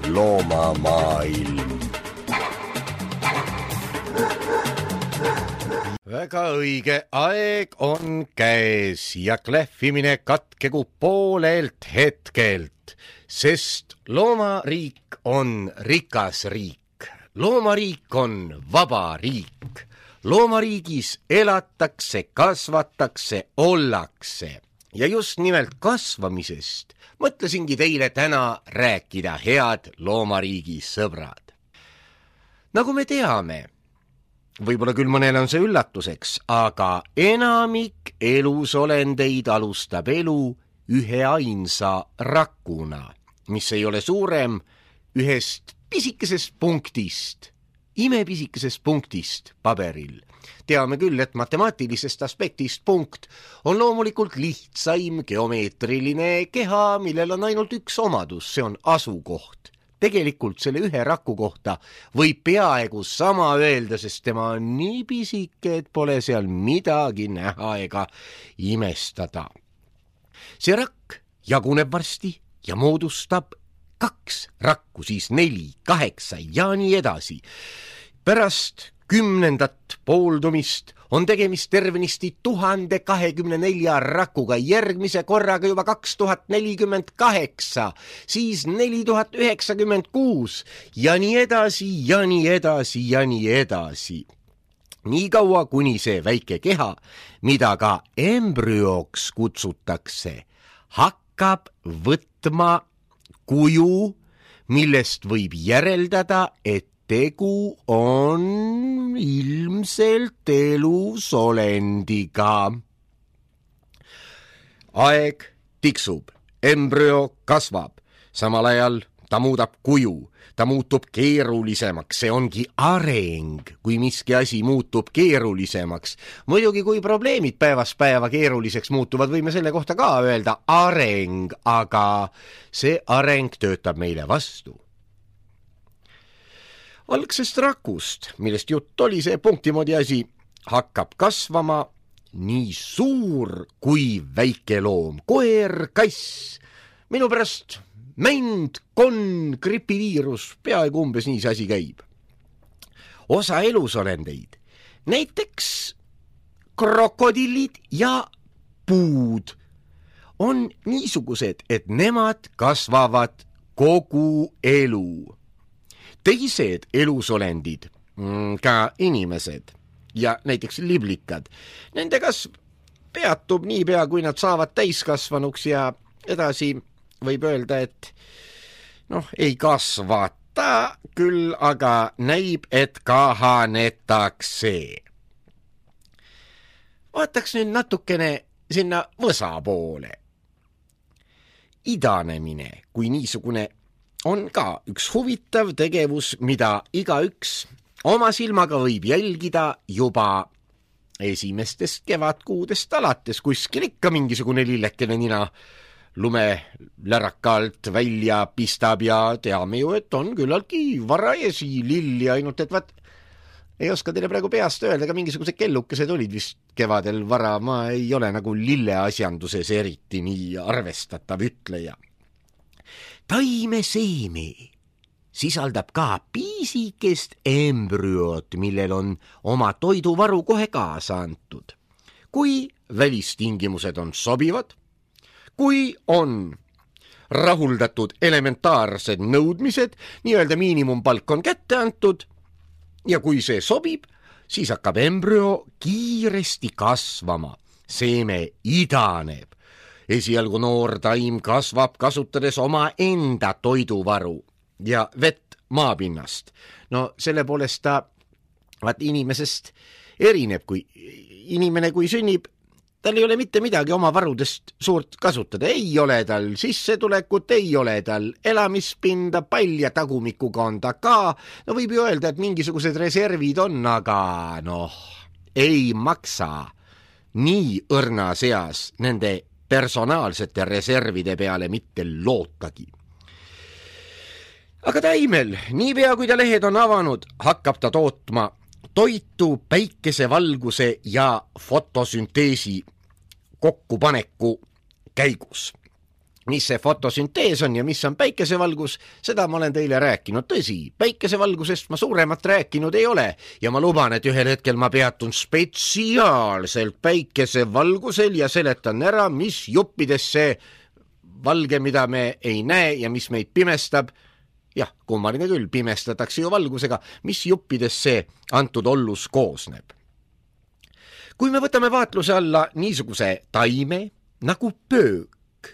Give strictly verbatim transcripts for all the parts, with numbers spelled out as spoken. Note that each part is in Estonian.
loomamaailm. Väga õige aeg on käes ja klähvimine katkegu poolelt hetkelt, sest loomariik on rikas riik. Loomariik on vaba riik. Loomariigis elatakse, kasvatakse, ollakse. Ja just nimelt kasvamisest mõtlesingi teile täna rääkida, head loomariigi sõbrad. Nagu me teame, võib-olla küll mõnel on see üllatuseks, aga enamik elusolendeid alustab elu ühe ainsa rakuna, mis ei ole suurem ühest pisikesest punktist, imepisikesest punktist paberil. Teame küll, et matemaatilisest aspektist punkt on loomulikult lihtsaim geomeetriline keha, millel on ainult üks omadus, see on asukoht. Tegelikult selle ühe raku kohta võib peaaegu sama öelda, sest tema on nii pisike, et pole seal midagi näha ega imestada. See rakk jaguneb varsti ja moodustab kaks rakku, siis neli, kaheksa ja nii edasi. Pärast kümnendat pooldumist on tegemist tervenisti tuhande kahekümne nelja rakuga, järgmise korraga juba kaks tuhat nelikümmend kaheksa, siis neli tuhat üheksakümmend kuus ja nii edasi ja nii edasi ja nii edasi. Nii kaua, kuni see väike keha, mida ka embrüoks kutsutakse, hakkab võtma kuju, millest võib järeldada, et tegu on ilmselt elusolendiga. Aeg tiksub, embrüo kasvab, samal ajal ta muudab kuju, ta muutub keerulisemaks, see ongi areng, kui miski asi muutub keerulisemaks. Muidugi, kui probleemid päevast päeva keeruliseks muutuvad, võime selle kohta ka öelda areng, aga see areng töötab meile vastu. Algsest rakust, millest jutt oli, see punktimoodi asi, hakkab kasvama nii suur kui väike loom. Koer, kass, minu pärast mänd, konn, gripiviirus, peaaegu umbes nii see asi käib. Osa elusolendeid, näiteks krokodillid ja puud, on niisugused, et nemad kasvavad kogu elu. Teised elusolendid, ka inimesed ja näiteks liblikad, nende kasv peatub niipea, kui nad saavad täiskasvanuks ja edasi võib öelda, et noh, ei kasvata küll, aga näib, et kahanetakse. Vaataks nüüd natukene sinna võsa poole. Idanemine kui niisugune on ka üks huvitav tegevus, mida igaüks oma silmaga võib jälgida juba esimestest kevadkuudest alates, kuskil ikka mingisugune lillekene nina lumelärakalt välja pistab ja teame ju, et on küllaltki varajasi lilli, ainult et vaat ei oska teile praegu peast öelda, aga mingisugused kellukesed olid vist kevadel vara, ma ei ole nagu lilleasjanduses eriti nii arvestatav ütleja. Taimeseeme sisaldab ka piisikest embrüot, millel on oma toiduvaru kohe kaasa antud. Kui välistingimused on sobivad, kui on rahuldatud elementaarsed nõudmised, nii-öelda miinimumpalk on kätte antud ja kui see sobib, siis hakkab embrüo kiiresti kasvama. Seeme idaneb. Esialgu noor taim kasvab kasutades oma enda toiduvaru ja vett maapinnast. No selle poolest ta vaat inimesest erineb, kui inimene kui sünnib, tal ei ole mitte midagi oma varudest suurt kasutada. Ei ole tal sissetulekut, ei ole tal elamispinda, palja tagumikuga on ta ka. No võib ju öelda, et mingisugused reservid on, aga noh, ei maksa nii õrna seas nende personaalsete reservide peale mitte lootagi. Aga taimel, niipea kui ta lehed on avanud, hakkab ta tootma toitu päikesevalguse ja fotosünteesi kokkupaneku käigus. mis see fotosüntees on ja mis on päikesevalgus, seda ma olen teile rääkinud. Tõsi, päikesevalgusest ma suuremat rääkinud ei ole ja ma luban, et ühel hetkel ma peatun spetsiaalselt päikesevalgusel ja seletan ära, mis juppides see valge, mida me ei näe ja mis meid pimestab, jah, kummaline küll, pimestatakse ju valgusega, mis juppides see antud ollus koosneb. Kui me võtame vaatluse alla niisuguse taime nagu pöök,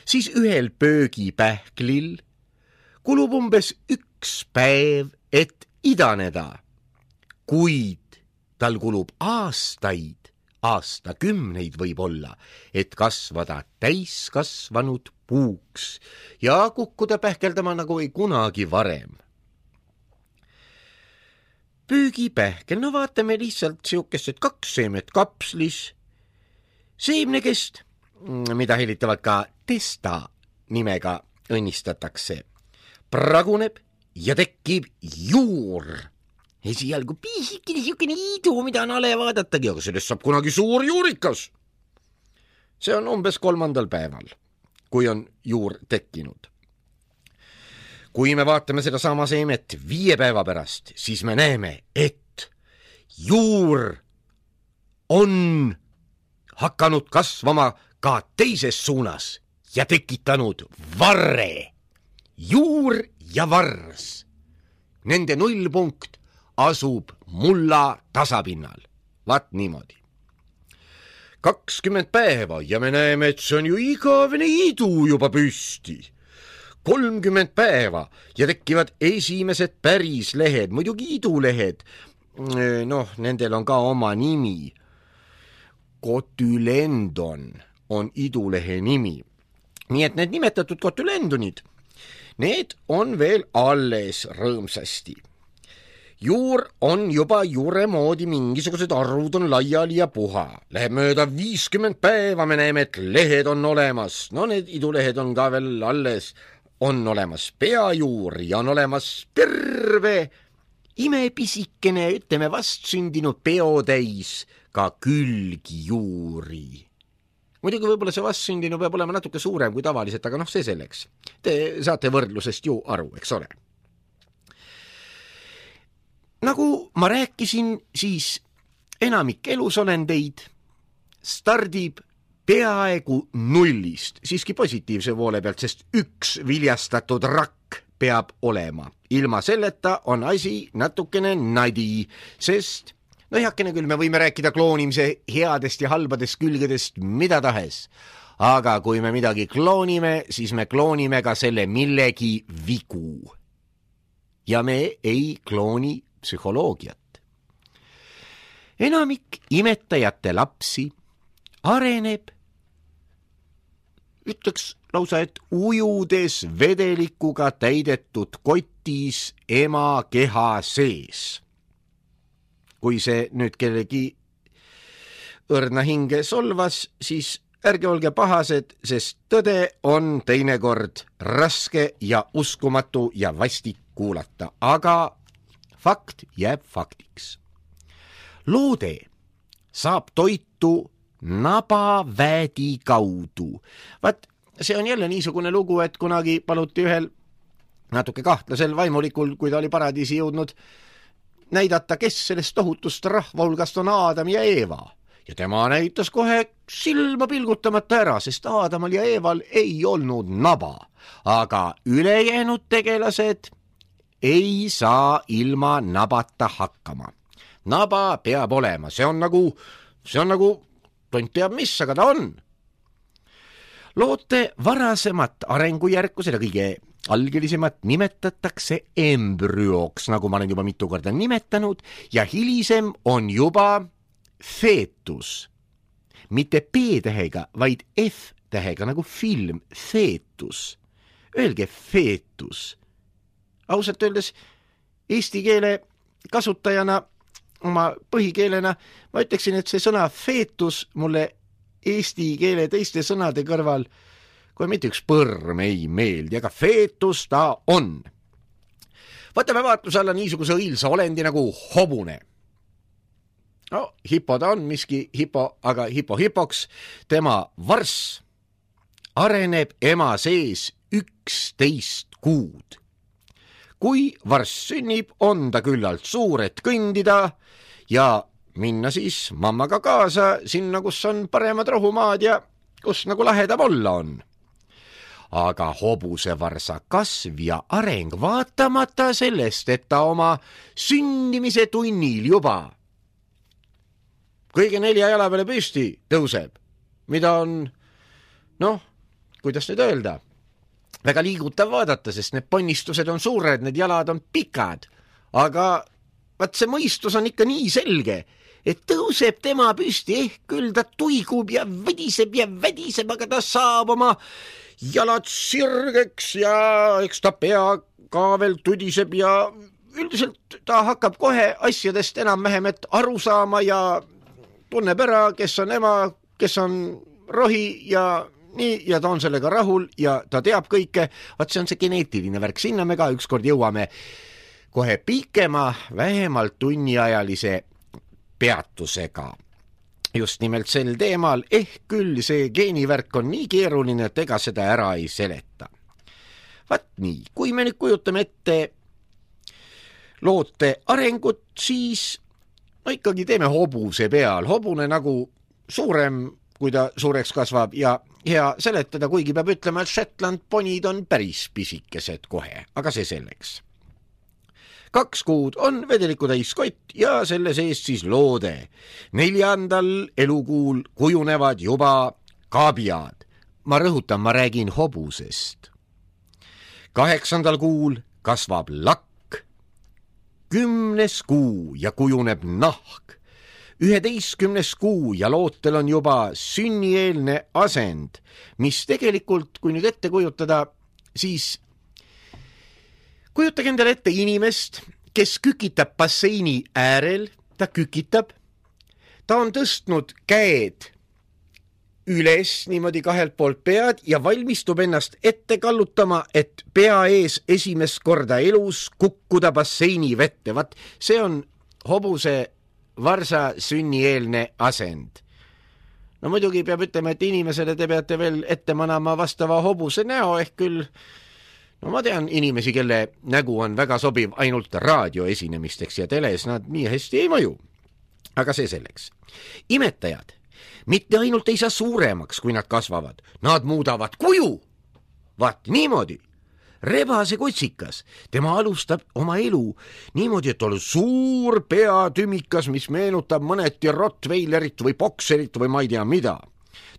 siis ühel pöögipähklil kulub umbes üks päev, et idaneda, kuid tal kulub aastaid, aastakümneid võib olla, et kasvada täiskasvanud puuks ja kukkuda pähkeldama nagu ei kunagi varem. Pöögipähkel, no vaatame lihtsalt siukest, et kaks seemet kapslis, seemnekest, mida helitavad ka testa nimega õnnistatakse, praguneb ja tekib juur. Esialgu pisikene siukene iidu, mida on ale vaadatagi, aga sellest saab kunagi suur juurikas. See on umbes kolmandal päeval, kui on juur tekkinud. Kui me vaatame seda sama seemet viie päeva pärast, siis me näeme, et juur on hakanud kasvama ka teises suunas ja tekitanud varre. Juur ja vars. Nende nullpunkt asub mulla tasapinnal. Vaat niimoodi. kakskümmend päeva ja me näeme, et see on ju igavene idu juba püsti. kolmkümmend päeva ja tekivad esimesed päris lehed, muidugi idulehed. Noh, nendel on ka oma nimi. Kotülendon on idulehe nimi. Nii et need nimetatud kotülendonid, need on veel alles rõõmsasti. Juur on juba juure moodi, mingisugused arvud on laiali ja puha. Läheb mööda viiskümmend päeva, me näeme, et lehed on olemas. No need idulehed on ka veel alles. On olemas peajuur ja on olemas terve imepisikene, ütleme vastsündinud peotäis ka külgijuuri. Muidugi võib-olla see vastsündinu peab olema natuke suurem kui tavaliselt, aga noh, see selleks. Te saate võrdlusest ju aru, eks ole. Nagu ma rääkisin, siis enamik elusolendeid stardib peaaegu nullist, siiski positiivse poole pealt, sest üks viljastatud rakk peab olema. Ilma selleta on asi natukene nadi, sest no heakene küll, me võime rääkida kloonimise headest ja halbadest külgedest mida tahes, aga kui me midagi kloonime, siis me kloonime ka selle millegi vigu. Ja me ei klooni psühholoogiat. Enamik imetajate lapsi areneb, ütleks lausa, et ujudes vedelikuga täidetud kotis ema keha sees. Kui see nüüd kellegi õrna hinge solvas, siis ärge olge pahased, sest tõde on teinekord raske ja uskumatu ja vastik kuulata, aga fakt jääb faktiks. Loode saab toitu nabaväedi kaudu. Vaat, see on jälle niisugune lugu, et kunagi paluti ühel natuke kahtlasel vaimulikul, kui ta oli paradiisi jõudnud, näidata, kes sellest tohutust rahva hulgast on Aadam ja Eeva. Ja tema näitas kohe silma pilgutamata ära, sest Aadamal ja Eeval ei olnud naba. Aga ülejäänud tegelased ei saa ilma nabata hakkama. Naba peab olema, see on nagu, see on nagu, tont teab mis, aga ta on. Loote varasemat arengujärku, seda kõige algelisemat nimetatakse embrüoks, nagu ma olen juba mitu korda nimetanud, ja hilisem on juba feetus. Mitte P-tähega, vaid F-tähega, nagu film, feetus. Öelge feetus. Ausalt öeldes eesti keele kasutajana, oma põhikeelena, ma ütleksin, et see sõna feetus mulle eesti keele teiste sõnade kõrval kui mitte üks põrm ei meeldi, aga feetus ta on. Võtame vaatluse alla niisuguse õilsa olendi nagu hobune. No, hipo ta on, miski hipo, aga hipo hipoks, tema varss areneb ema sees üksteist kuud. Kui varss sünnib, on ta küllalt suur, et kõndida ja minna siis mammaga kaasa sinna, kus on paremad rohumaad ja kus nagu lahedam olla on. Aga hobusevarsa kasv ja areng vaatamata sellest, et ta oma sünnimise tunnil juba kõige nelja jala peale püsti tõuseb, mida on, noh, kuidas nüüd öelda, väga liigutav vaadata, sest need ponnistused on suured, need jalad on pikad, aga vaat see mõistus on ikka nii selge, et tõuseb tema püsti, ehk küll ta tuigub ja vediseb ja vediseb, aga ta saab oma jalad sirgeks ja eks ta pea ka veel tudiseb ja üldiselt ta hakkab kohe asjadest enam-vähem et aru saama ja tunneb ära, kes on ema, kes on rohi ja nii, ja ta on sellega rahul ja ta teab kõike. Vaat see on see geneetiline värk, sinna me ka ükskord jõuame kohe pikema, vähemalt tunniajalise peatusega. Just nimelt sel teemal, ehk küll see geenivärk on nii keeruline, et ega seda ära ei seleta. Vaat nii, kui me nüüd kujutame ette loote arengut, siis no ikkagi teeme hobuse peal. Hobune nagu suurem, kui ta suureks kasvab ja hea seletada, kuigi peab ütlema, et Shetland ponid on päris pisikesed kohe, aga see selleks. Kaks kuud on vedeliku täiskott ja selle sees siis loode. Neljandal elukuul kujunevad juba kaabiad. Ma rõhutan, ma räägin hobusest. Kaheksandal kuul kasvab lakk. Kümnes kuu ja kujuneb nahk. Üheteistkümnes kuu ja lootel on juba sünnieelne asend, mis tegelikult, kui nüüd ette kujutada, siis kujutage endale ette inimest, kes kükitab basseini äärel, ta kükitab, ta on tõstnud käed üles niimoodi kahelt poolt pead ja valmistub ennast ette kallutama, et pea ees esimest korda elus kukkuda basseini vette. Vat see on hobuse varsa sünnieelne asend. No muidugi peab ütlema, et inimesele te peate veel ette manama vastava hobuse näo, ehk küll no ma tean inimesi, kelle nägu on väga sobiv ainult raadioesinemisteks ja teles nad nii hästi ei mõju. Aga see selleks. Imetajad mitte ainult ei saa suuremaks, kui nad kasvavad, nad muudavad kuju. Vaat niimoodi. Rebase kutsikas, tema alustab oma elu niimoodi, et on suur peatümikas, mis meenutab mõneti Rottweilerit või bokserit või ma ei tea mida.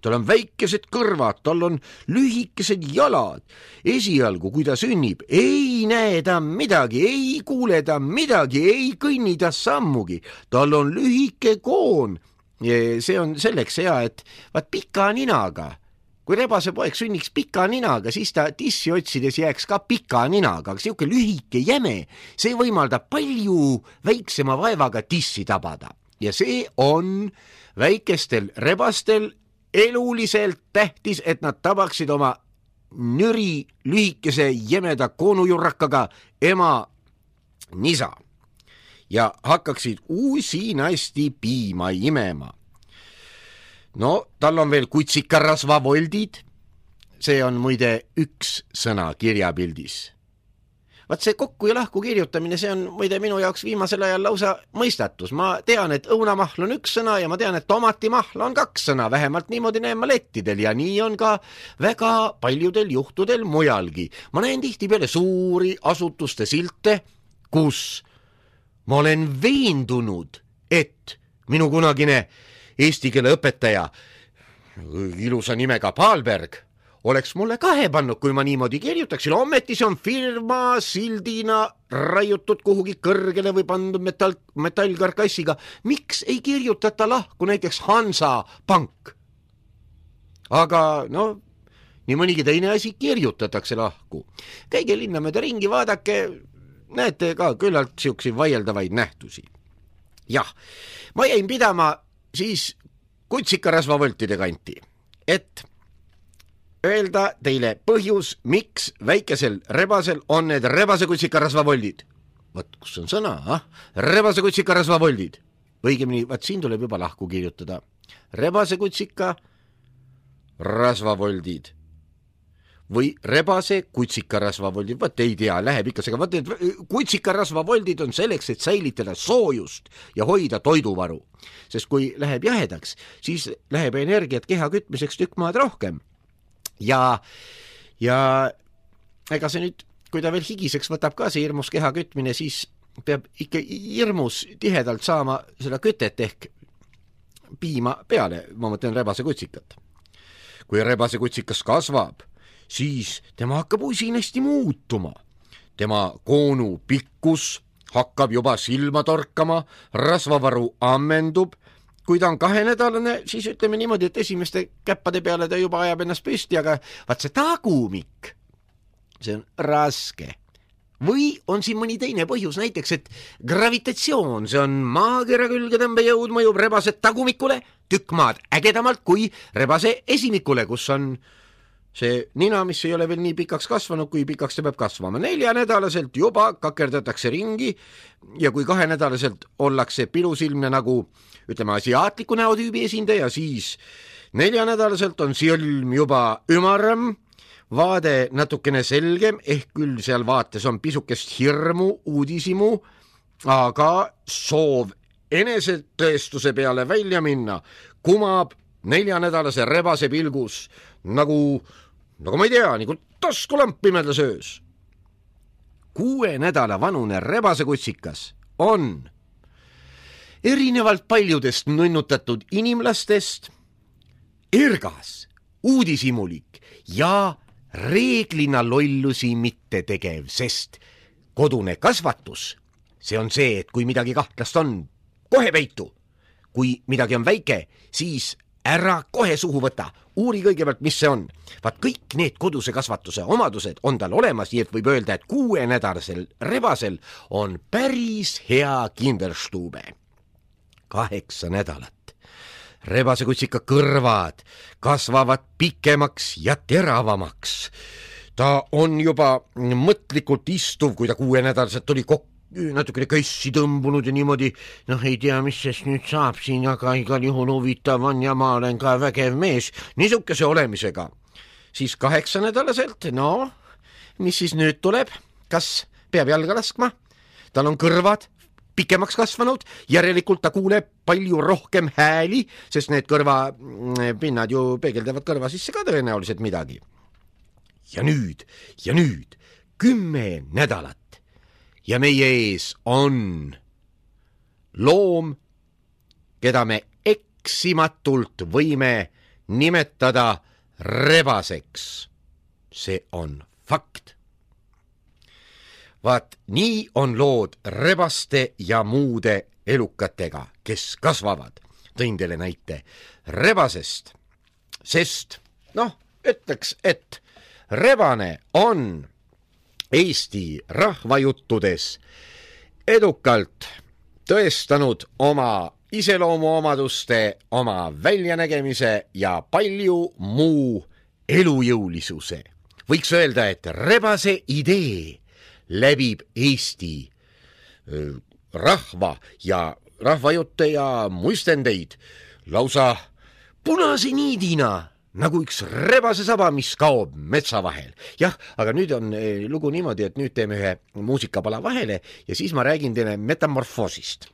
Tal on väikesed kõrvad, tal on lühikesed jalad. Esialgu, kui ta sünnib, ei näe ta midagi, ei kuule ta midagi, ei kõnni ta sammugi. Tal on lühike koon. See on selleks hea, et vaat pika ninaga. Kui rebase poeg sünniks pika ninaga, siis ta tissi otsides jääks ka pika ninaga, aga siuke lühike jäme, see võimaldab palju väiksema vaevaga tissi tabada. Ja see on väikestel rebastel eluliselt tähtis, et nad tabaksid oma nüri lühikese jämeda koonujurrakaga ema nisa ja hakkaksid uusinasti piima imema. No, tal on veel kutsikarasvavoldid. See on muide üks sõna kirjapildis. Vaat see kokku ja lahku kirjutamine, see on muide minu jaoks viimasel ajal lausa mõistatus. Ma tean, et õunamahl on üks sõna ja ma tean, et tomatimahl on kaks sõna. Vähemalt niimoodi näen ma lettidel ja nii on ka väga paljudel juhtudel mujalgi. Ma näen tihtipeale suuri asutuste silte, kus ma olen veendunud, et minu kunagine eesti keele õpetaja, ilusa nimega Paalberg, oleks mulle kahe pannud, kui ma niimoodi kirjutaksin. Ometi see on firma sildina raiutud kuhugi kõrgele või pandud metall, metallkarkassiga. Miks ei kirjutata lahku näiteks Hansa Pank? Aga no, nii mõnigi teine asi kirjutatakse lahku. Käige linna mööda ringi, vaadake, näete ka küllalt siuksi vaieldavaid nähtusi. Jah, ma jäin pidama siis kutsikarasvavoltide kanti, et öelda teile põhjus, miks väikesel rebasel on need rebase kutsikarasvavoldid. Võt, kus on sõna, ah? Rebase kutsikarasvavoldid. Õigemini, vaat siin tuleb juba lahku kirjutada. Rebase kutsika rasvavoldid. või rebase kutsikarasvavoldid, võt ei tea, läheb ikka sega, võt need kutsikarasvavoldid on selleks, et säilitada soojust ja hoida toiduvaru, sest kui läheb jahedaks, siis läheb energiat keha kütmiseks tükk maad rohkem ja, ja ega see nüüd, kui ta veel higiseks võtab ka see hirmus keha kütmine, siis peab ikka hirmus tihedalt saama seda kütet ehk piima peale, ma mõtlen rebase kutsikat. Kui rebase kutsikas kasvab, siis tema hakkab usinasti muutuma. Tema koonu pikkus hakkab juba silma torkama, rasvavaru ammendub. Kui ta on kahenädalane, siis ütleme niimoodi, et esimeste käppade peale ta juba ajab ennast püsti, aga vaat see tagumik, see on raske. Või on siin mõni teine põhjus, näiteks, et gravitatsioon, see on maakera külge tõmbejõud mõjub rebase tagumikule tükk maad ägedamalt kui rebase esimikule, kus on see nina, mis ei ole veel nii pikaks kasvanud, kui pikaks ta peab kasvama. Neljanädalaselt juba kakerdatakse ringi ja kui kahenädalaselt ollakse pilusilmne nagu, ütleme, asiaatliku näotüübi esindaja, siis neljanädalaselt on silm juba ümaram, vaade natukene selgem, ehk küll seal vaates on pisukest hirmu, uudisimu, aga soov enesetõestuse peale välja minna kumab neljanädalase rebase pilgus nagu, nagu ma ei tea, nagu taskulamp pimedas öös. Kuue nädala vanune rebase kutsikas on erinevalt paljudest nunnutatud inimlastest ergas, uudisimulik ja reeglina lollusi mitte tegev, sest kodune kasvatus, see on see, et kui midagi kahtlast on, kohe peitu. Kui midagi on väike, siis ära kohe suhu võta, uuri kõigepealt, mis see on. Vaat kõik need koduse kasvatuse omadused on tal olemas, nii et võib öelda, et kuuenädalasel rebasel on päris hea kinderstube. Kaheksa nädalat. Rebase kutsika kõrvad kasvavad pikemaks ja teravamaks. Ta on juba mõtlikult istuv, kui ta kuuenädalaselt oli kokku, natukene kössi tõmbunud ja niimoodi, noh ei tea, mis sest nüüd saab siin, aga igal juhul huvitav on ja ma olen ka vägev mees niisuguse olemisega. Siis kaheksanädalaselt, no, mis siis nüüd tuleb? Kas peab jalga laskma? Tal on kõrvad pikemaks kasvanud, järelikult ta kuuleb palju rohkem hääli, sest need kõrvapinnad ju peegeldavad kõrva sisse ka tõenäoliselt midagi. Ja nüüd, ja nüüd, kümme nädalat ja meie ees on loom, keda me eksimatult võime nimetada rebaseks. See on fakt. Vaat nii on lood rebaste ja muude elukatega, kes kasvavad. Tõin teile näite rebasest, sest, noh, ütleks, et rebane on Eesti rahvajuttudes edukalt tõestanud oma iseloomuomaduste, oma väljanägemise ja palju muu elujõulisuse. Võiks öelda, et rebase idee läbib Eesti rahva ja rahvajutte ja muistendeid lausa punase niidina, nagu üks rebase saba, mis kaob metsa vahel. Jah, aga nüüd on lugu niimoodi, et nüüd teeme ühe muusikapala vahele ja siis ma räägin teile metamorfoosist.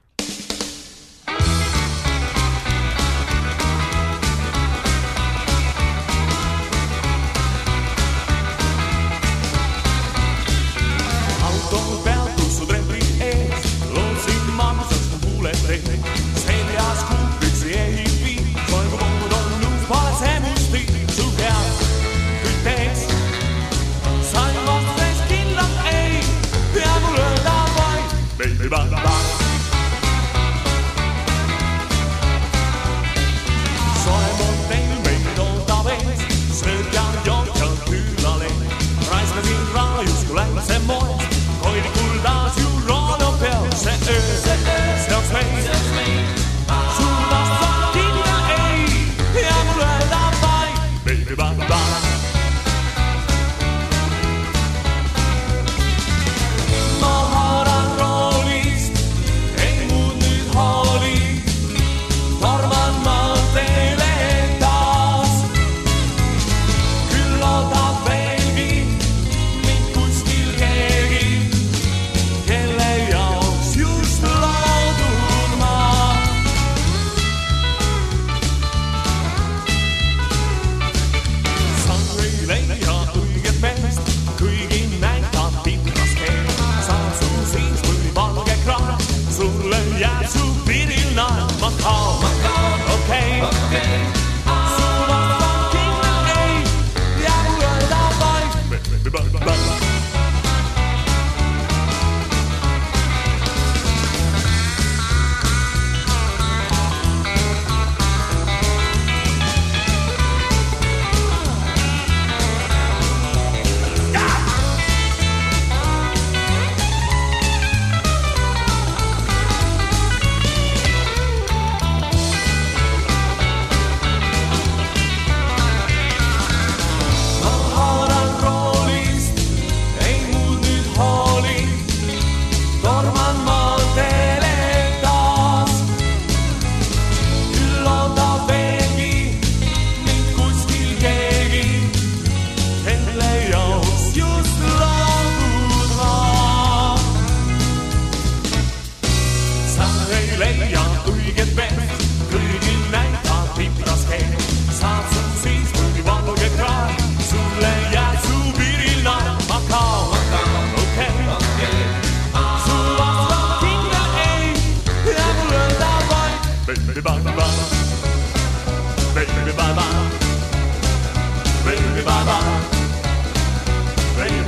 Bang, bang, bang.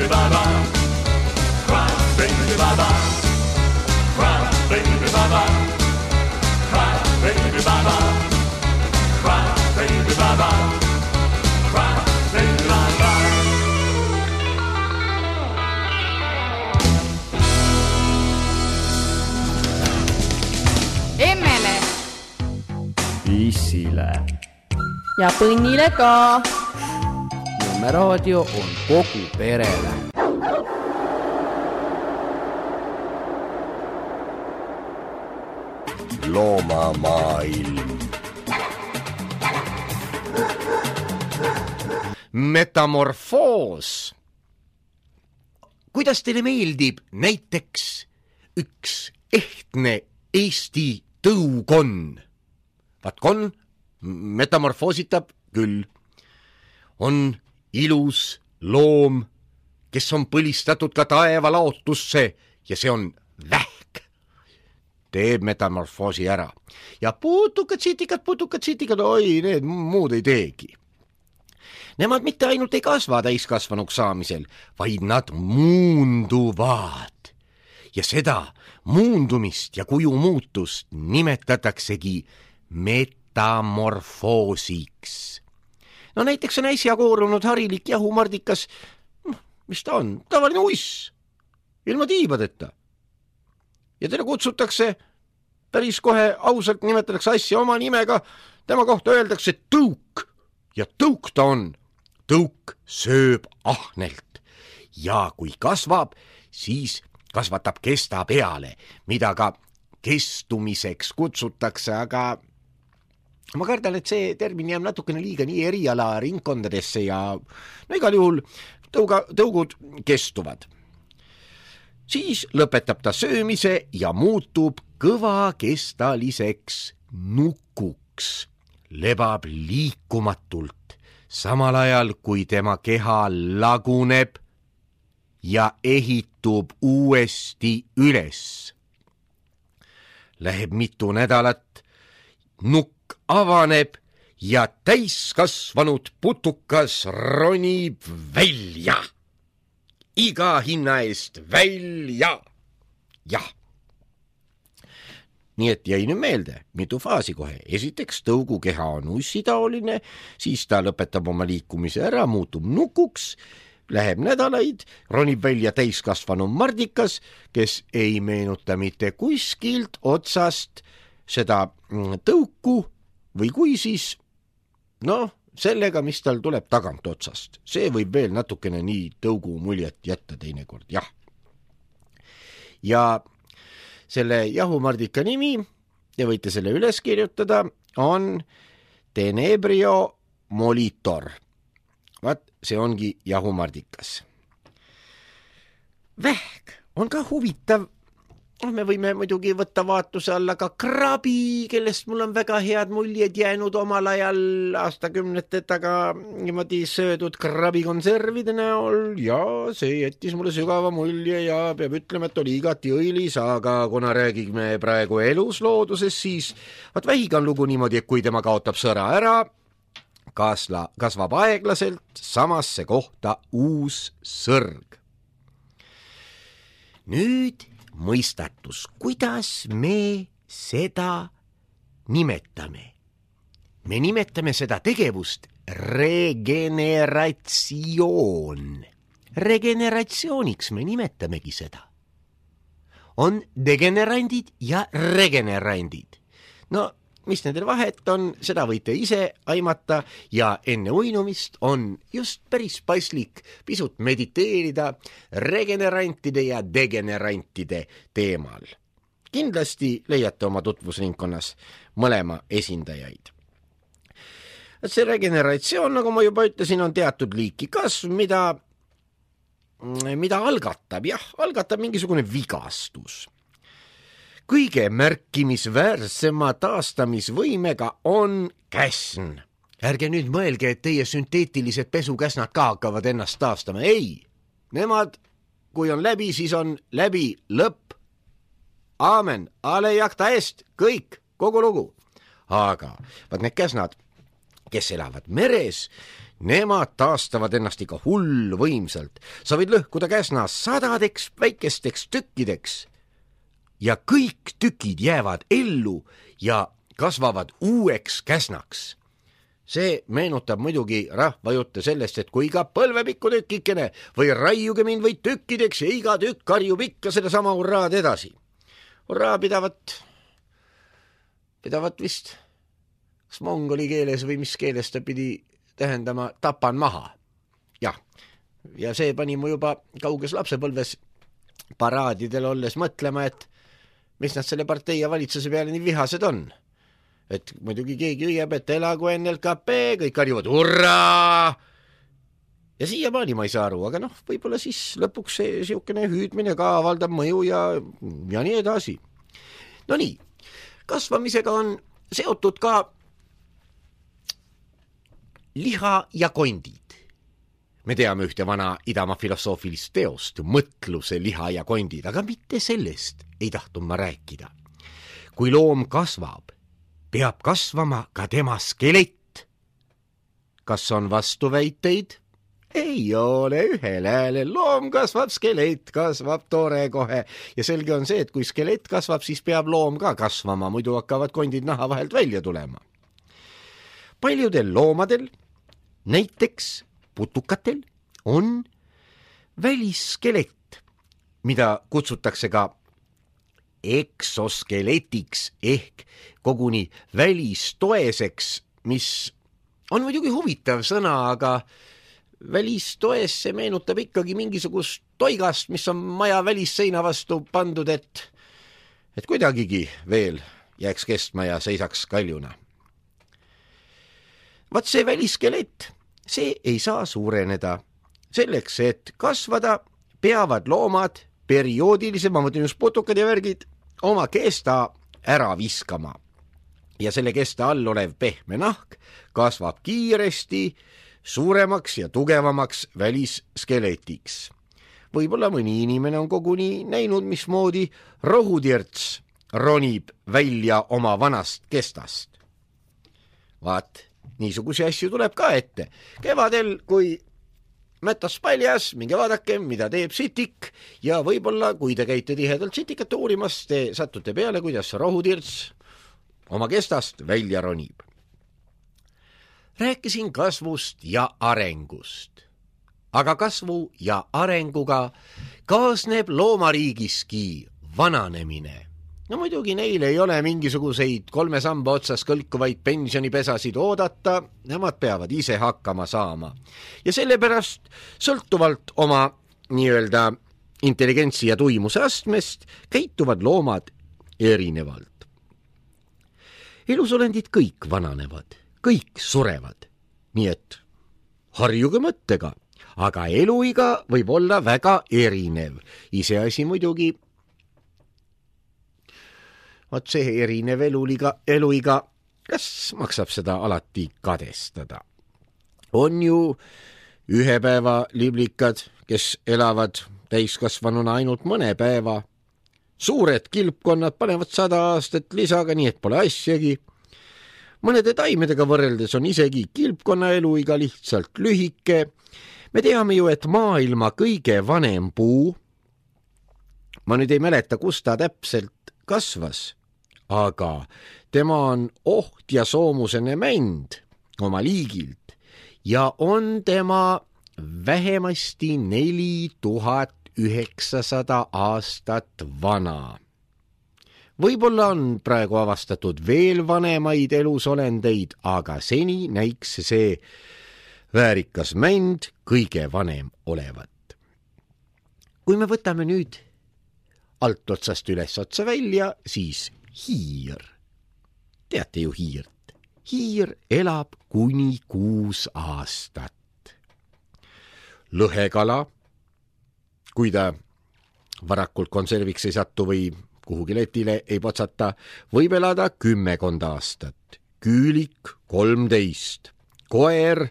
bye-bye. Cry, baby, bye-bye. Cry, baby, bye-bye. Cry, baby, bye-bye. Cry, baby, bye-bye. Cry, baby, bye-bye. Emmele Issile ja Põnnile ka. Nõmme raadio on kogu perele. Loomamaailm. Metamorfoos. Kuidas teile meeldib näiteks üks ehtne Eesti tõukon? Vaat kon metamorfoositab küll. On ilus loom, kes on põlistatud ka taeva laotusse ja see on vähk. Teeb metamorfoosi ära. Ja putukad, sitikad, putukad, sitikad, oi, need muud ei teegi. Nemad mitte ainult ei kasva täiskasvanuks saamisel, vaid nad muunduvad. Ja seda muundumist ja kuju muutust nimetataksegi metamorfoosiks. No näiteks on äsja koorunud harilik jahumardikas, mis ta on, tavaline uiss, ilma tiibadeta. Ja teda kutsutakse, päris kohe ausalt nimetatakse asja oma nimega, tema kohta öeldakse tõuk ja tõuk ta on. Tõuk sööb ahnelt ja kui kasvab, siis kasvatab kesta peale, mida ka kestumiseks kutsutakse, aga ma kardan, et see termin jääb natukene liiga nii eriala ringkondadesse ja no igal juhul tõuga, tõugud kestuvad. Siis lõpetab ta söömise ja muutub kõvakestaliseks nukuks, lebab liikumatult, samal ajal kui tema keha laguneb ja ehitub uuesti üles. Läheb mitu nädalat, nukk avaneb ja täiskasvanud putukas ronib välja. Iga hinna eest välja. Jah. Nii et jäi nüüd meelde, mitu faasi kohe. Esiteks tõugu keha on ussitaoline, siis ta lõpetab oma liikumise ära, muutub nukuks, läheb nädalaid, ronib välja täiskasvanu mardikas, kes ei meenuta mitte kuskilt otsast seda tõuku või kui siis, noh, sellega, mis tal tuleb tagant otsast. See võib veel natukene nii tõugu muljet jätta teinekord, jah. Ja selle jahumardika nimi, ja võite selle üles kirjutada, on Tenebrio molitor. Vaat, see ongi jahumardikas. Vähk on ka huvitav. Me võime muidugi võtta vaatuse alla ka krabi, kellest mul on väga head muljed jäänud omal ajal aastakümnete taga niimoodi söödud krabikonservide näol ja see jättis mulle sügava mulje ja peab ütlema, et oli igati õilis, aga kuna räägime praegu eluslooduses, siis vaat vähiga on lugu niimoodi, et kui tema kaotab sõra ära, kasla, kasvab aeglaselt samasse kohta uus sõrg. Nüüd mõistatus, kuidas me seda nimetame. Me nimetame seda tegevust regeneratsioon. Regeneratsiooniks me nimetamegi seda. On degenerandid ja regenerandid. No, mis nendel vahet on, seda võite ise aimata ja enne uinumist on just päris paslik pisut mediteerida regenerantide ja degenerantide teemal. Kindlasti leiate oma tutvusringkonnas mõlema esindajaid. See regeneratsioon, nagu ma juba ütlesin, on teatud liiki kasv, mida, mida algatab, jah, algatab mingisugune vigastus. Kõige märkimisväärsema taastamisvõimega on käsn. Ärge nüüd mõelge, et teie sünteetilised pesukäsnad ka hakkavad ennast taastama. Ei, nemad, kui on läbi, siis on läbi lõpp. Aamen, ale jakta eest, kõik, kogu lugu. Aga vaat need käsnad, kes elavad meres, nemad taastavad ennast ikka hull võimsalt. Sa võid lõhkuda käsna sadadeks väikesteks tükkideks ja kõik tükid jäävad ellu ja kasvavad uueks käsnaks. See meenutab muidugi rahvajutte sellest, et kui iga põlvepikku tükikene või raiuge mind või tükkideks ja iga tükk karjub ikka selle sama hurraad edasi. Hurraa pidavat, pidavat vist, kas mongoli keeles või mis keeles ta pidi tähendama tapan maha. Jah, ja see pani mu juba kauges lapsepõlves paraadidel olles mõtlema, et mis nad selle partei ja valitsuse peale nii vihased on. Et muidugi keegi hüüab, et elagu N L K P, kõik karjuvad hurraa! Ja siiamaani ma ei saa aru, aga noh, võib-olla siis lõpuks see siukene hüüdmine ka avaldab mõju ja, ja nii edasi. No nii, kasvamisega on seotud ka liha ja kondid. Me teame ühte vana Idamaa filosoofilist teost, mõtluse liha ja kondid, aga mitte sellest ei tahtnud ma rääkida. Kui loom kasvab, peab kasvama ka tema skelett. Kas on vastuväiteid? Ei ole ühel häälel. Loom kasvab, skelett kasvab tore kohe. Ja selge on see, et kui skelett kasvab, siis peab loom ka kasvama, muidu hakkavad kondid naha vahelt välja tulema. Paljudel loomadel, näiteks putukatel, on välisskelett, mida kutsutakse ka eksoskeletiks ehk koguni välistoeseks, mis on muidugi huvitav sõna, aga välistoes see meenutab ikkagi mingisugust toigast, mis on maja välisseina vastu pandud, et, et kuidagigi veel jääks kestma ja seisaks kaljuna. Vaat see välisskelett, see ei saa suureneda. Selleks, et kasvada, peavad loomad perioodilise, ma mõtlen just putukad ja värgid, oma kesta ära viskama. Ja selle kesta all olev pehme nahk kasvab kiiresti suuremaks ja tugevamaks välisskeletiks. Võib-olla mõni inimene on koguni näinud, mismoodi rohutirts ronib välja oma vanast kestast. Vaat, niisugusi asju tuleb ka ette. Kevadel, kui mätas paljas, minge vaadake, mida teeb sitik ja võib-olla, kui te käite tihedalt sitikat uurimas, te satute peale, kuidas rohutirts oma kestast välja ronib. Rääkisin kasvust ja arengust, aga kasvu ja arenguga kaasneb loomariigiski vananemine. No muidugi neil ei ole mingisuguseid kolme samba otsas kõlkuvaid pensionipesasid oodata, nemad peavad ise hakkama saama. Ja sellepärast sõltuvalt oma nii-öelda intelligentsi ja tuimuse astmest käituvad loomad erinevalt. Elusolendid kõik vananevad, kõik surevad, nii et harjuge mõttega, aga eluiga võib olla väga erinev. Iseasi muidugi Vaat see erinev eluliga, eluiga, kas maksab seda alati kadestada? On ju ühe päeva liblikad, kes elavad täiskasvanuna ainult mõne päeva. Suured kilpkonnad panevad sada aastat lisaga, nii et pole asjagi. Mõnede taimedega võrreldes on isegi kilpkonna eluiga lihtsalt lühike. Me teame ju, et maailma kõige vanem puu, ma nüüd ei mäleta, kus ta täpselt kasvas, aga tema on oht ja soomusene mänd oma liigilt ja on tema vähemasti neli tuhat üheksasada aastat vana. Võib-olla on praegu avastatud veel vanemaid elusolendeid, aga seni näiks see väärikas mänd kõige vanem olevat. Kui me võtame nüüd alt otsast üles otsa välja, siis hiir. Teate ju hiirt. Hiir elab kuni kuus aastat. Lõhekala, kui ta varakult konserviks ei satu või kuhugi letile ei potsata, võib elada kümmekond aastat. Küülik kolmteist. Koer,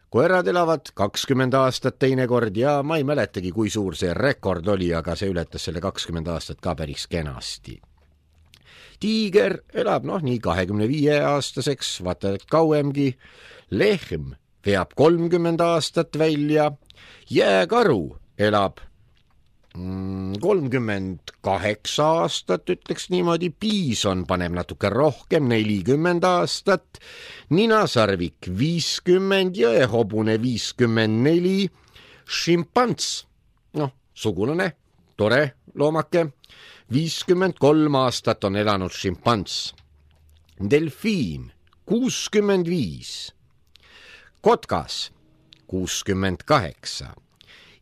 koerad elavad kakskümmend aastat teinekord ja ma ei mäletagi, kui suur see rekord oli, aga see ületas selle kakskümmend aastat ka päris kenasti. Tiiger elab noh nii kahekümne viie aastaseks, vaata et kauemgi. Lehm veab kolmkümmend aastat välja, jääkaru elab kolmkümmend kaheksa aastat, ütleks niimoodi, piison paneb natuke rohkem, nelikümmend aastat, ninasarvik viiskümmend, jõehobune viiskümmend neli, šimpants, noh, sugulane, tore loomake, viiskümmend kolm aastat on elanud šimpants, delfiin kuuskümmend viis, kotkas kuuskümmend kaheksa,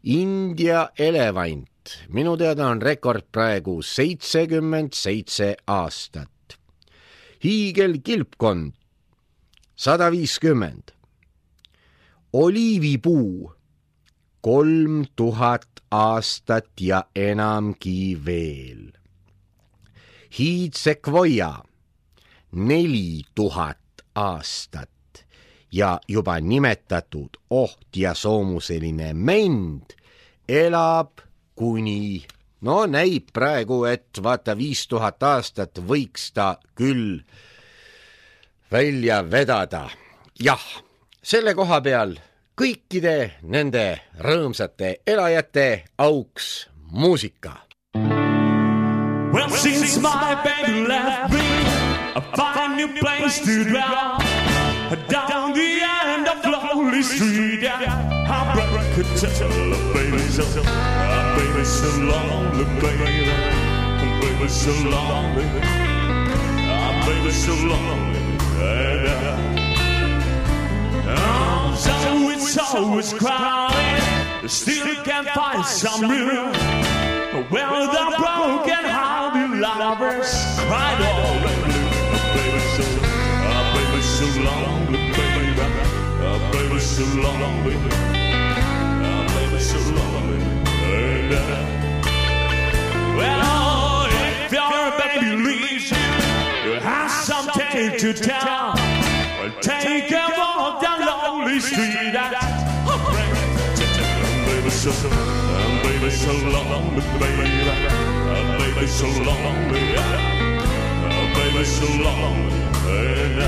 India elevant, minu teada on rekord praegu seitsekümmend seitse aastat. Hiigelkilpkond sada viiskümmend. Oliivipuu kolm tuhat aastat ja enamgi veel. Hiidsekvoja neli tuhat aastat ja juba nimetatud oht ja soomuseline mend elab kuni, no näib praegu, et vaata viis tuhat aastat võiks ta küll välja vedada. Jah, selle koha peal kõikide nende rõõmsate elajate auks muusika. Well, since my baby left me, I find a new place to dwell. Down the end of lonely street, yeah. I break a tell, baby, so, uh, baby, so lonely, baby, baby, so lonely, uh, baby, so lonely, yeah. Oh, so it's always crowded, still can't find some room. Well, the broken-hearted lovers cried all alone, baby, so, uh, baby, so lonely, baby, uh, baby, so lonely, uh, baby, so lonely, and, uh, well, if your baby leaves you, you have something to tell. Well, take a walk down lonely street and baby, so, uh, baby, so lonely, baby, uh, baby, so lonely, uh, baby, so lonely, and, uh,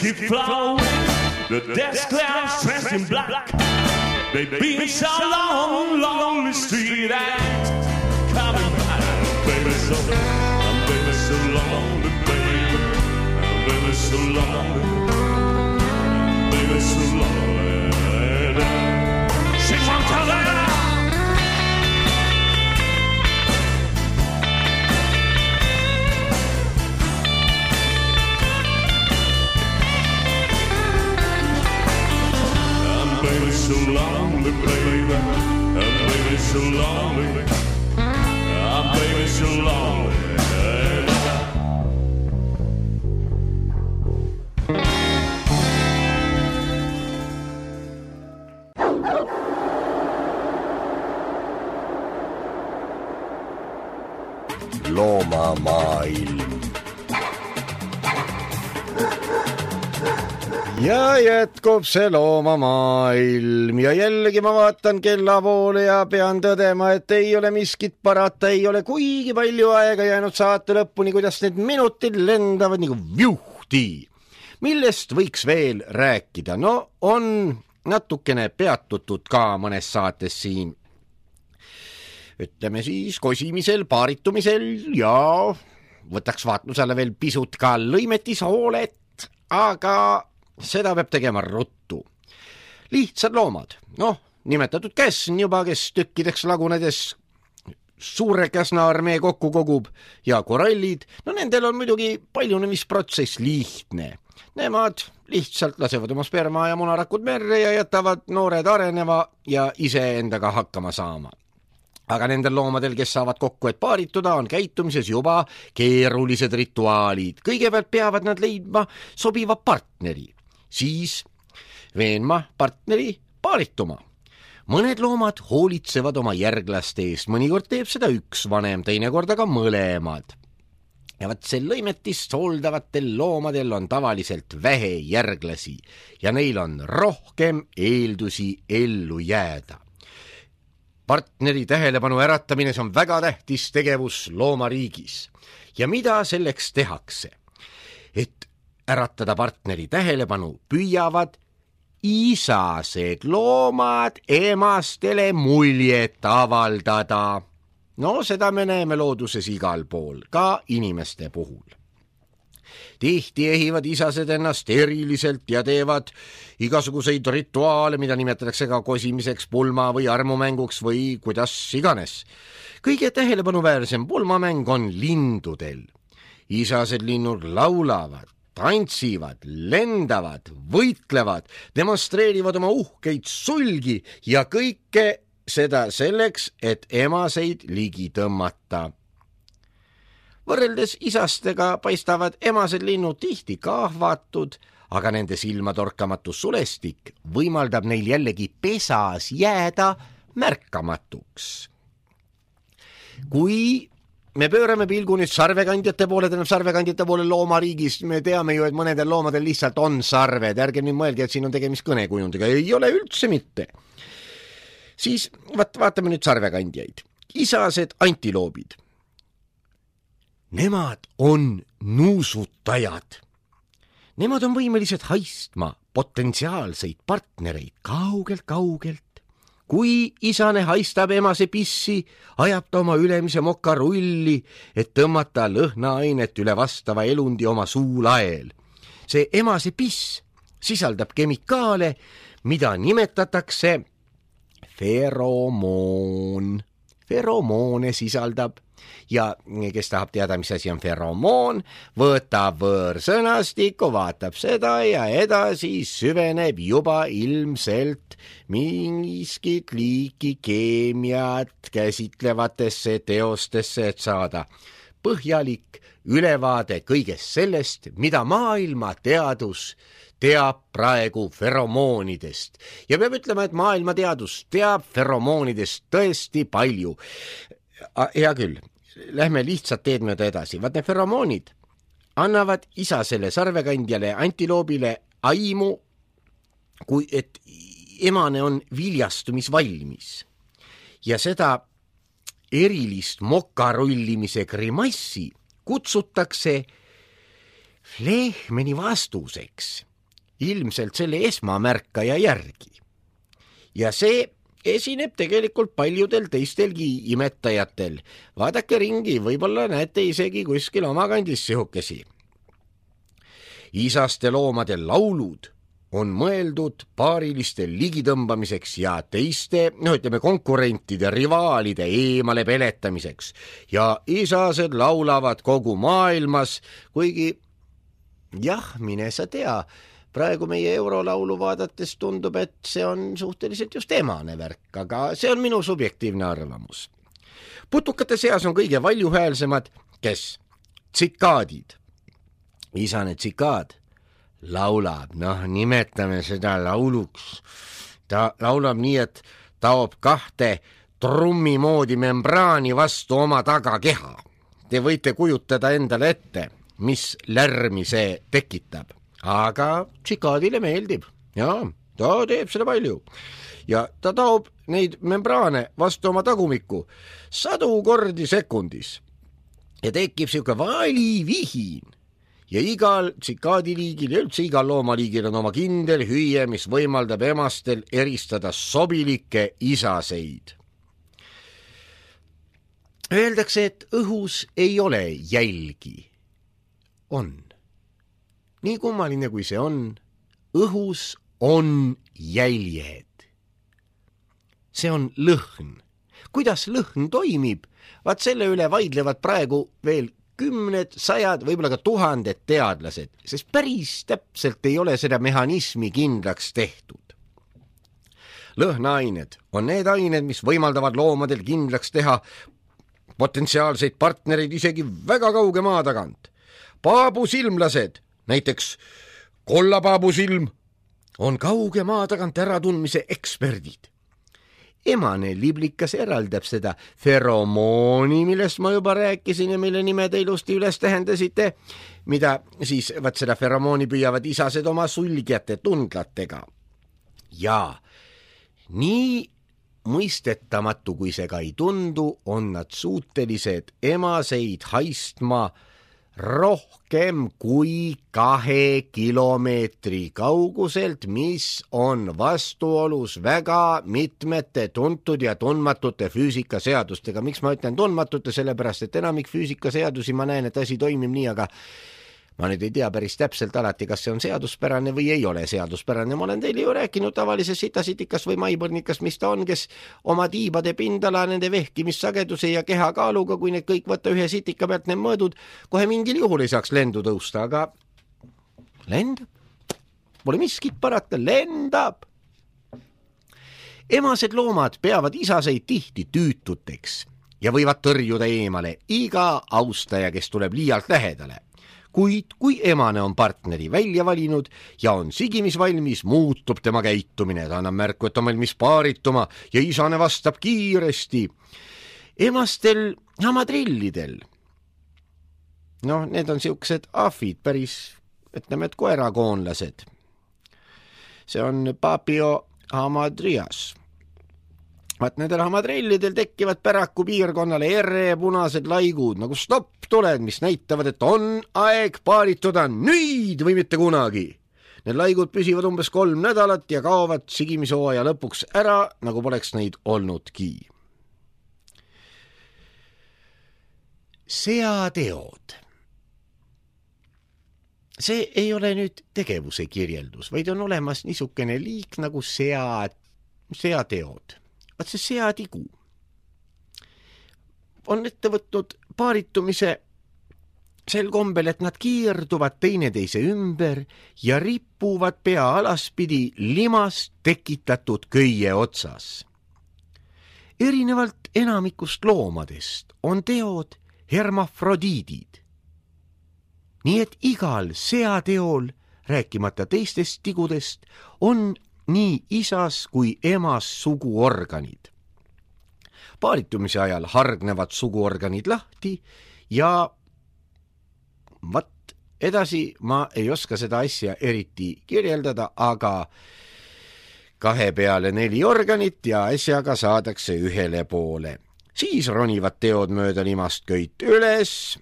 keep flowing, the desk clouds dressed in black. They've been so long, lonely street and coming back. Baby, so, I'm baby, so lonely, baby. I'm baby, so lonely. I'm baby, so lonely. Sing one color. So lonely, baby, and baby, so lonely, I'm baby, so lonely. Loomamaailm. Ja jätkub see loomamaailm ja jällegi ma vaatan kella poole ja pean tõdema, et ei ole miskit parata, ei ole kuigi palju aega jäänud saate lõpuni, kuidas need minutid lendavad nagu vjuhti. Millest võiks veel rääkida? No on natukene peatutud ka mõnes saates siin. Ütleme siis kosimisel, paaritumisel ja võtaks vaatlusele veel pisut ka lõimetishoolet, aga seda peab tegema ruttu. Lihtsad loomad, noh, nimetatud käsn juba, kes tükkideks lagunedes suure käsnaarmee kokku kogub ja korallid, no nendel on muidugi paljunemisprotsess lihtne. Nemad lihtsalt lasevad oma sperma ja munarakud merre ja jätavad noored areneva ja ise endaga hakkama saama. Aga nendel loomadel, kes saavad kokku, et paarituda, on käitumises juba keerulised rituaalid. Kõigepealt peavad nad leidma sobiva partneri. Siis veenma partneri paarituma. mõned loomad hoolitsevad oma järglaste eest, mõnikord teeb seda üks vanem, teinekord aga mõlemad. ja vaat see lõimetist hooldavatel loomadel on tavaliselt vähe järglasi ja neil on rohkem eeldusi ellu jääda. Partneri tähelepanu äratamine, see on väga tähtis tegevus loomariigis. Ja mida selleks tehakse? Et äratada partneri tähelepanu, püüavad isased loomad emastele muljet avaldada. No seda me näeme looduses igal pool, ka inimeste puhul. Tihti ehivad isased ennast eriliselt ja teevad igasuguseid rituaale, mida nimetatakse ka kosimiseks, pulma või armumänguks või kuidas iganes. Kõige tähelepanuväärsem pulmamäng on lindudel. Isased linnud laulavad, tantsivad, lendavad, võitlevad, demonstreerivad oma uhkeid sulgi ja kõike seda selleks, et emaseid ligi tõmmata. Võrreldes isastega paistavad emased linnud tihti kahvatud, aga nende silmatorkamatu sulestik võimaldab neil jällegi pesas jääda märkamatuks. Kui me pöörame pilgu nüüd sarvekandjate poole, tähendab sarvekandjate poole loomariigis, me teame ju, et mõnedel loomadel lihtsalt on sarved, ärge nüüd mõelge, et siin on tegemist kõnekujundiga, ei ole üldse mitte. Siis vaat, vaatame nüüd sarvekandjaid. Isased antiloobid. Nemad on nuusutajad. Nemad on võimelised haistma potentsiaalseid partnereid kaugelt-kaugelt. Kui isane haistab emase pissi, ajab ta oma ülemise mokarulli, et tõmmata lõhnaainet üle vastava elundi oma suulael. See emase piss sisaldab kemikaale, mida nimetatakse feromoon. Feromoone sisaldab. Ja kes tahab teada, mis asi on feromoon, võtab võõrsõnastiku, vaatab seda ja edasi süveneb juba ilmselt miskit liiki keemiat käsitlevatesse teostesse, et saada põhjalik ülevaade kõigest sellest, mida maailma teadus teab praegu feromoonidest. Ja peab ütlema, et maailma teadus teab feromoonidest tõesti palju. Hea küll, lähme lihtsalt teed mööda edasi. Vaat need feromoonid annavad isasele sarvekandjale antiloobile aimu, kui et emane on viljastumisvalmis. Ja seda erilist mokarullimise grimassi kutsutakse Flehmeni vastuseks, ilmselt selle esmamärkaja järgi. Ja see esineb tegelikult paljudel teistelgi imetajatel. Vaadake ringi, võib-olla näete isegi kuskil oma kandis sihukesi. Isaste loomade laulud on mõeldud paariliste ligitõmbamiseks ja teiste, no ütleme, konkurentide, rivaalide eemale peletamiseks. Ja isased laulavad kogu maailmas, kuigi jah, mine sa tea, praegu meie eurolaulu vaadates tundub, et see on suhteliselt just emane värk, aga see on minu subjektiivne arvamus. Putukate seas on kõige valjuhäälsemad, kes? Tsikaadid. Isane tsikaad laulab, noh, nimetame seda lauluks. Ta laulab nii, et taob kahte trummi moodi membraani vastu oma tagakeha. Te võite kujutada endale ette, mis lärmi see tekitab. Aga tsikaadile meeldib. Jaa, ta teeb seda palju. Ja ta taob neid membraane vastu oma tagumikku sadu kordi sekundis. Ja tekib siuke valivihin. Ja igal tsikaadiliigil ja üldse igal loomaliigil on oma kindel hüüe, mis võimaldab emastel eristada sobilikke isaseid. Öeldakse, et õhus ei ole jälgi. On. Nii kummaline kui see on, õhus on jäljed. See on lõhn. Kuidas lõhn toimib? Vaat selle üle vaidlevad praegu veel kümned, sajad, võib-olla ka tuhanded teadlased, sest päris täpselt ei ole seda mehhanismi kindlaks tehtud. Lõhnaained on need ained, mis võimaldavad loomadel kindlaks teha potentsiaalseid partnereid isegi väga kauge maa tagant. Paabusilmlased, näiteks kollapaabusilm, on kauge maa tagant äratundmise eksperdid. emane liblikas eraldab seda feromooni, millest ma juba rääkisin ja mille nime te ilusti üles tähendasite, mida siis vaat seda feromooni püüavad isased oma sulgjate tundlatega. Ja nii mõistetamatu, kui see ka ei tundu, on nad suutelised emaseid haistma rohkem kui kahe kilomeetri kauguselt, mis on vastuolus väga mitmete tuntud ja tundmatute füüsikaseadustega. Miks ma ütlen tundmatute? Sellepärast, et enamik füüsikaseadusi ma näen, et asi toimib nii, aga ma nüüd ei tea päris täpselt alati, kas see on seaduspärane või ei ole seaduspärane. Ma olen teile ju rääkinud tavalises sitasitikas või maipõrnikas, mis ta on, kes oma tiibade pindala, nende vehkimissageduse ja kehakaaluga, kui need kõik võtta ühe sitika pealt need mõõdud, kohe mingil juhul ei saaks lendu tõusta, aga lendab. Pole miskit parata, lendab. Emased loomad peavad isaseid tihti tüütuteks ja võivad tõrjuda eemale iga austaja, kes tuleb liialt lähedale. Kuid kui emane on partneri välja valinud ja on sigimisvalmis, muutub tema käitumine. Ta annab märku, et on valmis paarituma ja isane vastab kiiresti. Emastel hamadrillidel, noh, need on siuksed ahvid, päris, ütleme, et koerakoonlased. See on Papio hamadrias. Vaat nendel hamadrillidel tekivad päraku piirkonnale ere punased laigud nagu stopp-tuled, mis näitavad, et on aeg paarituda nüüd või mitte kunagi. Need laigud püsivad umbes kolm nädalat ja kaovad sigimisooaja lõpuks ära, nagu poleks neid olnudki. Seateod. See ei ole nüüd tegevuse kirjeldus, vaid on olemas niisugune liik nagu sea, seateod. Vaat see seatigu on ette võtnud paaritumise sel kombel, et nad kiirduvad teineteise ümber ja ripuvad pea alaspidi limast tekitatud köie otsas. Erinevalt enamikust loomadest on teod hermafrodiidid. Nii et igal seateol, rääkimata teistest tigudest, on nii isas kui emas suguorganid. Paaritumise ajal hargnevad suguorganid lahti ja vat edasi ma ei oska seda asja eriti kirjeldada, aga kahe peale neli organit ja asjaga saadakse ühele poole. Siis ronivad teod mööda limast köit üles,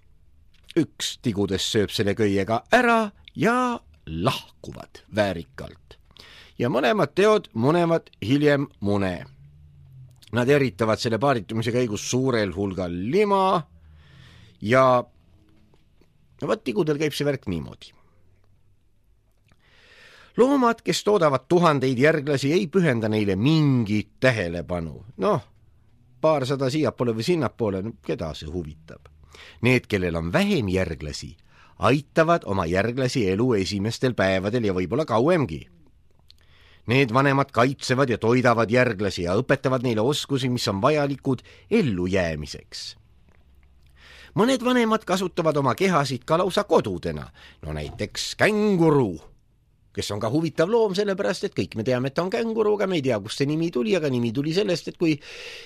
üks tigudest sööb selle köiega ära ja lahkuvad väärikalt. Ja mõlemad teod munevad hiljem mune. Nad eritavad selle paaritumise käigus suurel hulgal lima ja vaat tigudel käib see värk niimoodi. Loomad, kes toodavad tuhandeid järglasi, ei pühenda neile mingit tähelepanu. Noh, paarsada siiapoole või sinnapoole, no keda see huvitab. Need, kellel on vähem järglasi, aitavad oma järglasi elu esimestel päevadel ja võib-olla kauemgi. Need vanemad kaitsevad ja toidavad järglasi ja õpetavad neile oskusi, mis on vajalikud ellujäämiseks. Mõned vanemad kasutavad oma kehasid ka lausa kodudena, no näiteks känguru, kes on ka huvitav loom, sellepärast, et kõik me teame, et ta on känguru, aga me ei tea, kust see nimi tuli, aga nimi tuli sellest, et kui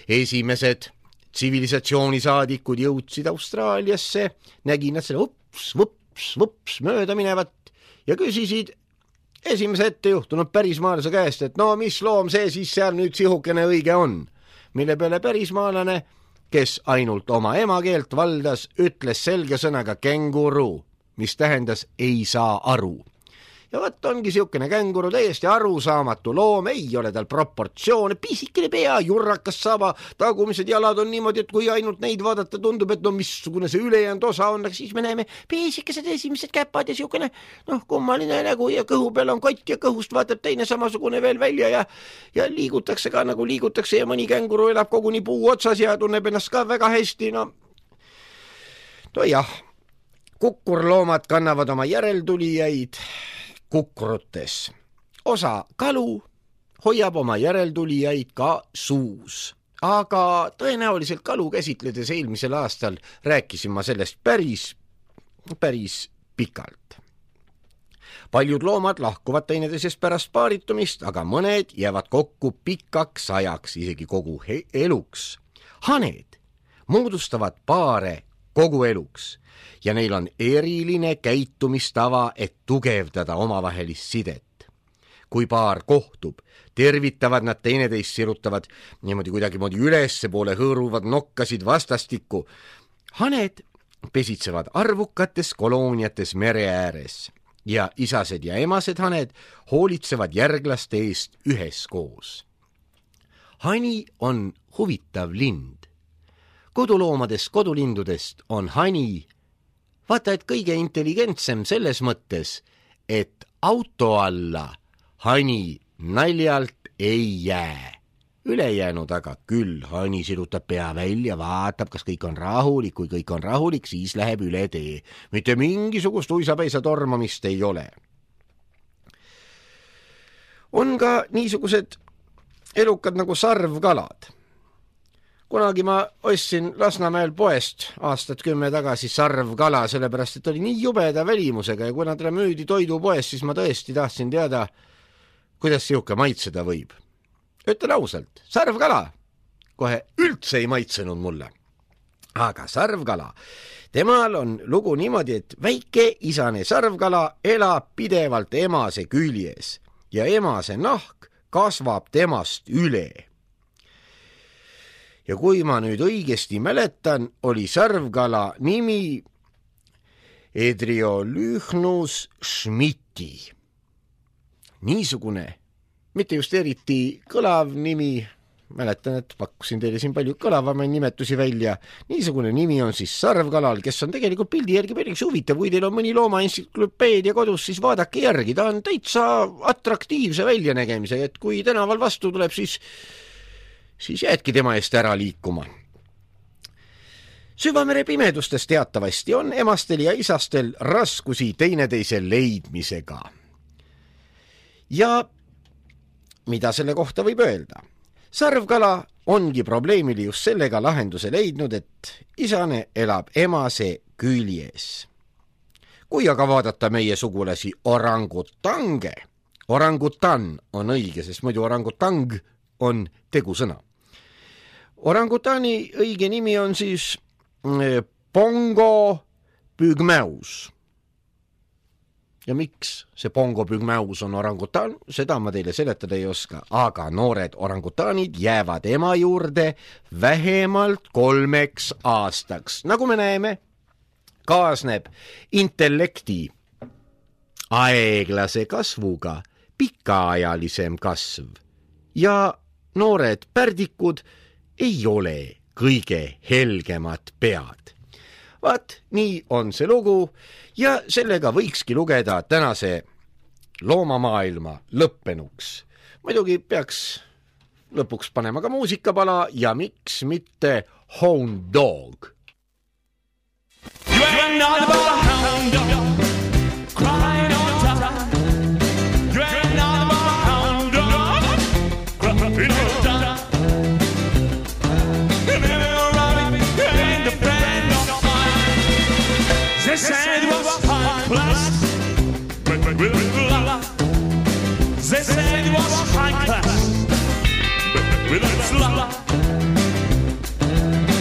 esimesed tsivilisatsioonisaadikud jõudsid Austraaliasse, nägi nad selle ups, vups, vups mööda minevat ja küsisid esimese ette juhtunud pärismaalase käest, et no mis loom see siis seal nüüd sihukene õige on, mille peale pärismaalane, kes ainult oma emakeelt valdas, ütles selge sõnaga känguru, mis tähendas ei saa aru. Ja võt ongi siukene känguru, täiesti arusaamatu loom, ei ole tal proportsioone, pisikene pea, jurrakas saba, tagumised jalad on niimoodi, et kui ainult neid vaadata, tundub, et no missugune see ülejäänud osa on, aga siis me näeme pisikesed esimesed käpad ja siukene noh, kummaline nägu ja kõhu peal on kott ja kõhust vaatab teine samasugune veel välja ja, ja liigutakse ka nagu liigutakse ja mõni känguru elab koguni puu otsas ja tunneb ennast ka väga hästi, no no jah, kukurloomad kannavad oma järeltulijaid kukrutes. Osa kalu hoiab oma järeltulijaid ka suus, aga tõenäoliselt kalu käsitledes eelmisel aastal rääkisin ma sellest päris, päris pikalt. paljud loomad lahkuvad teineteisest pärast paaritumist, aga mõned jäävad kokku pikaks ajaks, isegi kogu eluks. Haned moodustavad paare kogu eluks ja neil on eriline käitumistava, et tugevdada omavahelist sidet. Kui paar kohtub, tervitavad nad teineteist, sirutavad niimoodi kuidagi moodi ülesse poole, hõõruvad nokkasid vastastikku. Haned pesitsevad arvukates kolooniates mere ääres ja isased ja emased haned hoolitsevad järglaste eest üheskoos. Hani on huvitav lind. Koduloomadest, kodulindudest on hani vaata, et kõige intelligentsem selles mõttes, et auto alla hani naljalt ei jää. Ülejäänud aga küll, hani sirutab pea välja, vaatab, kas kõik on rahulik, kui kõik on rahulik, siis läheb üle tee. Mitte mingisugust uisapäisa tormamist ei ole. On ka niisugused elukad nagu sarvkalad. Kunagi ma ostsin Lasnamäel poest aastat kümme tagasi sarvkala, sellepärast et oli nii jubeda välimusega ja kui nad müüdi toidupoes, siis ma tõesti tahtsin teada, kuidas siuke maitseda võib. Ütlen ausalt, sarvkala kohe üldse ei maitsenud mulle. Aga sarvkala, temal on lugu niimoodi, et väike isane sarvkala elab pidevalt emase küljes ja emase nahk kasvab temast üle. Ja kui ma nüüd õigesti mäletan, oli sarvkala nimi Edriolychnus schmidti. Niisugune, mitte just eriti kõlav nimi, mäletan, et pakkusin teile siin palju kõlavamaid nimetusi välja. Niisugune nimi on siis sarvkalal, kes on tegelikult pildi järgi päris huvitav. Kui teil on mõni loomaentsüklopeedia kodus, siis vaadake järgi. Ta on täitsa atraktiivse väljanägemisega, et kui tänaval vastu tuleb, siis siis jäädki tema eest ära liikuma. Süvamere pimedustes teatavasti on emastel ja isastel raskusi teineteise leidmisega. Ja mida selle kohta võib öelda? Sarvkala ongi probleemili just sellega lahenduse leidnud, et isane elab emase küljes. Kui aga vaadata meie sugulasi orangutange, orangutan on õige, sest muidu orangutang on tegusõna. Orangutani õige nimi on siis Pongo pygmeus. Ja miks see Pongo pygmeus on orangutan, seda ma teile seletada ei oska, aga noored orangutanid jäävad ema juurde vähemalt kolmeks aastaks. Nagu me näeme, kaasneb intellekti aeglase kasvuga pikaajalisem kasv ja noored pärdikud ei ole kõige helgemad pead. Vaat, nii on see lugu ja sellega võikski lugeda tänase loomamaailma lõppenuks. Muidugi peaks lõpuks panema ka muusikapala ja miks mitte Hound Dog. You ain't not about a hound dog crying on time. You ain't not about a hound dog crying on time. They said it was high class, but with a lot. They said it was high class, but with a lot.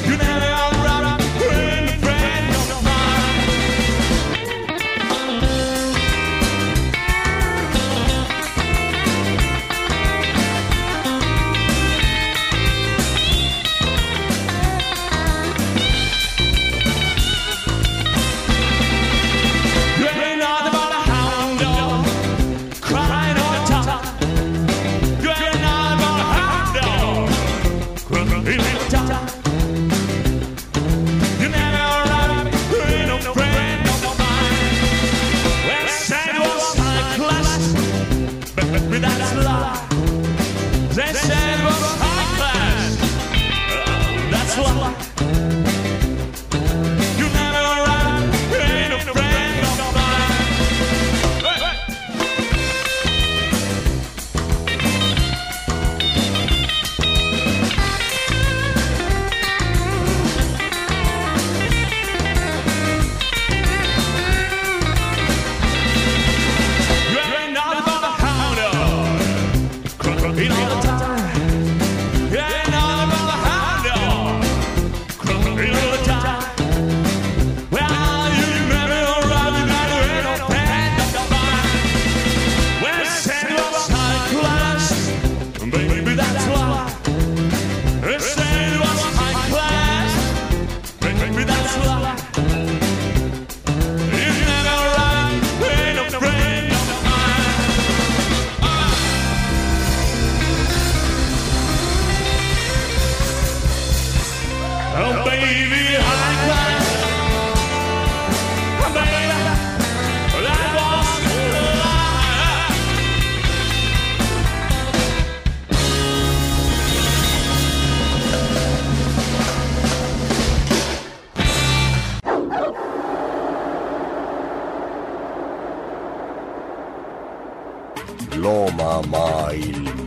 You never are a friend, friend of mine. Oh, baby, I cried. Oh, baby, that was a lie. loomamaailm.